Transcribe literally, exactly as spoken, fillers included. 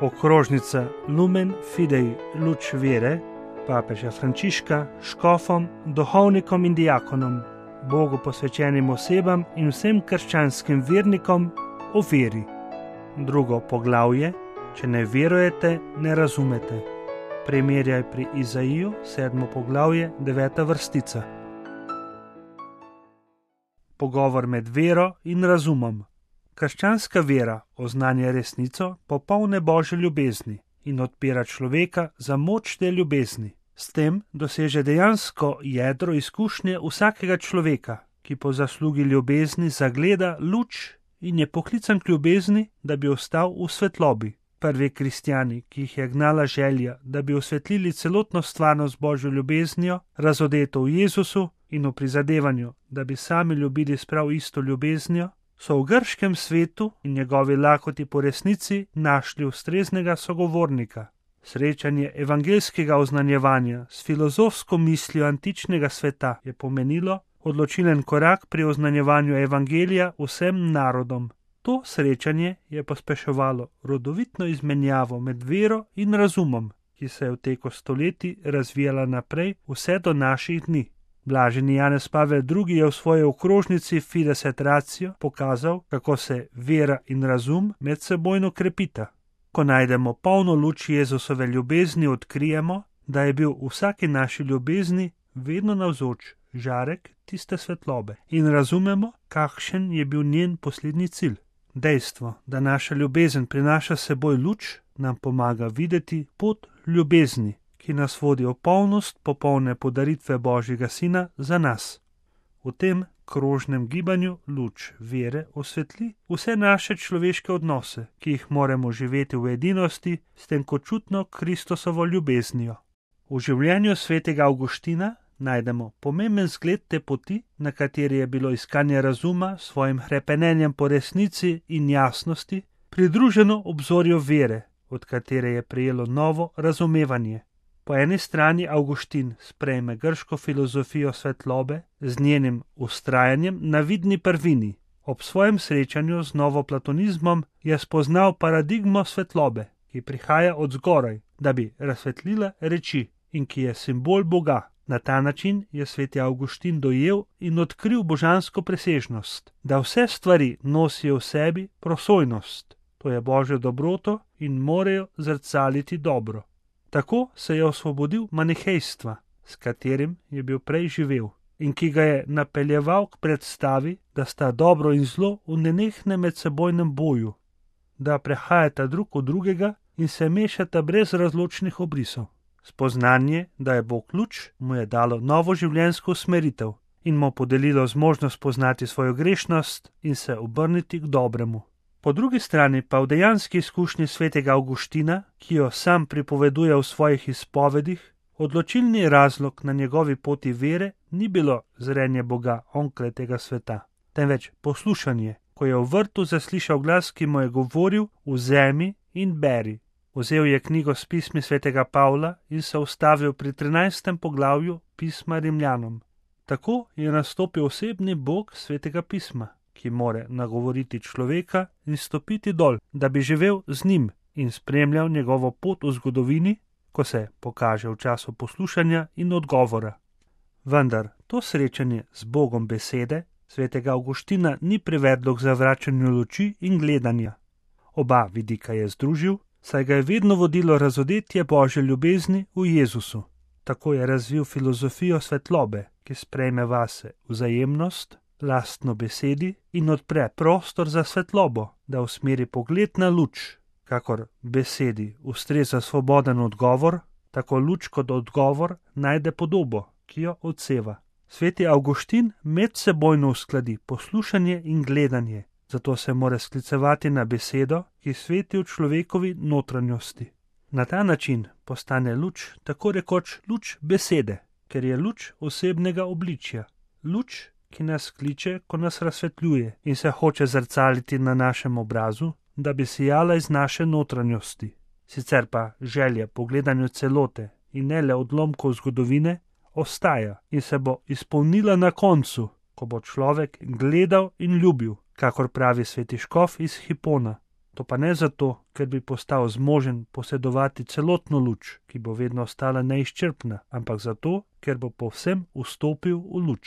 Okrožnica Lumen Fidei luč vere papeža Frančiška škofom, duhovnikom in diakonom, Bogu posvečenim osebam in vsem krščanskim vernikom o veri. Drugo poglavje: če ne verujete, ne razumete. Primerjaj pri Izaiju, sedmo poglavje, deveta vrstica. Pogovor med vero in razumom. Krščanska vera oznanja resnico popolne Božje ljubezni in odpira človeka za moč te ljubezni. S tem doseže dejansko jedro izkušnje vsakega človeka, ki po zaslugi ljubezni zagleda luč in je poklican k ljubezni, da bi ostal v svetlobi. Prvi kristjani, ki jih je gnala želja, da bi osvetlili celotno stvarnost Božjo ljubeznijo, razodeto v Jezusu in v prizadevanju, da bi sami ljubili s prav isto ljubeznijo, so v grškem svetu in njegovi lakoti po resnici našli ustreznega sogovornika. Srečanje evangeljskega oznanjevanja s filozofsko mislijo antičnega sveta je pomenilo odločilen korak pri oznanjevanju evangelija vsem narodom. To srečanje je pospeševalo rodovitno izmenjavo med vero in razumom, ki se je v teku stoletij razvijala naprej vse do naših dni. Blaženi Janez Pavel drugi je v svoji okrožnici Fides et Ratio pokazal, kako se vera in razum medsebojno krepita. Ko najdemo polno luč Jezusove ljubezni, odkrijemo, da je bil v vsaki naši ljubezni vedno navzoč žarek tiste svetlobe in razumemo, kakšen je bil njen poslednji cilj. Dejstvo, da naša ljubezen prinaša seboj luč, nam pomaga videti pot ljubezni, ki nas vodi v polnost popolne podaritve Božjega Sina za nas. V tem krožnem gibanju luč vere osvetli vse naše človeške odnose, ki jih moramo živeti v edinosti s tem kočutno Kristusovo ljubeznijo. V življenju svetega Avguština najdemo pomemben zgled te poti, na kateri je bilo iskanje razuma s svojim hrepenenjem po resnici in jasnosti pridruženo obzorju vere, od katere je prejelo novo razumevanje. Po eni strani Avguštin sprejme grško filozofijo svetlobe z njenim vztrajanjem na vidni prvini. Ob svojem srečanju z novoplatonizmom je spoznal paradigmo svetlobe, ki prihaja od zgoraj, da bi razsvetlila reči in ki je simbol Boga. Na ta način je sveti Avguštin dojel in odkril božansko presežnost, da vse stvari nosijo v sebi prosojnost, to je Božjo dobroto in morajo zrcaliti dobro. Tako se je osvobodil manihejstva, s katerim je bil prej živel in ki ga je napeljeval k predstavi, da sta dobro in zlo v nenehnem medsebojnem boju, da prehajata drug od drugega in se mešata brez razločnih obrisov. Spoznanje, da je Bog luč, mu je dalo novo življenjsko usmeritev in mu podelilo zmožnost poznati svojo grešnost in se obrniti k dobremu. Po drugi strani pa v dejanski izkušnji svetega Avguština, ki jo sam pripoveduje v svojih izpovedih, odločilni razlog na njegovi poti vere ni bilo zrenje Boga onkraj tega sveta, temveč poslušanje, ko je v vrtu zaslišal glas, ki mu je govoril: vzemi in beri. Vzel je knjigo s pismi svetega Pavla in se ustavil pri trinajstem poglavju pisma Rimljanom. Tako je nastopil osebni Bog svetega pisma, ki more nagovoriti človeka in stopiti dol, da bi živel z njim in spremljal njegovo pot v zgodovini, ko se pokaže v času poslušanja in odgovora. Vendar to srečanje z Bogom besede svetega Avguština ni privedlo k zavračanju luči in gledanja. Oba vidika je združil, saj ga je vedno vodilo razodetje Božje ljubezni v Jezusu. Tako je razvil filozofijo svetlobe, ki sprejme vase vzajemnost, lastno besedi in odpre prostor za svetlobo, da usmeri pogled na luč. Kakor besedi ustreza svoboden odgovor, tako luč kot odgovor najde podobo, ki jo odseva. Sveti Avguštin medsebojno uskladi poslušanje in gledanje, zato se mora sklicevati na besedo, ki sveti v človekovi notranjosti. Na ta način postane luč tako rekoč luč besede, ker je luč osebnega obličja. Luč, ki nas kliče, ko nas razsvetljuje in se hoče zrcaliti na našem obrazu, da bi sijala iz naše notranjosti. Sicer pa želja po gledanju celote in ne le odlomkov zgodovine ostaja in se bo izpolnila na koncu, ko bo človek gledal in ljubil, kakor pravi sveti škof iz Hipona. To pa ne zato, ker bi postal zmožen posedovati celotno luč, ki bo vedno ostala neizčrpna, ampak zato, ker bo povsem vstopil v luč.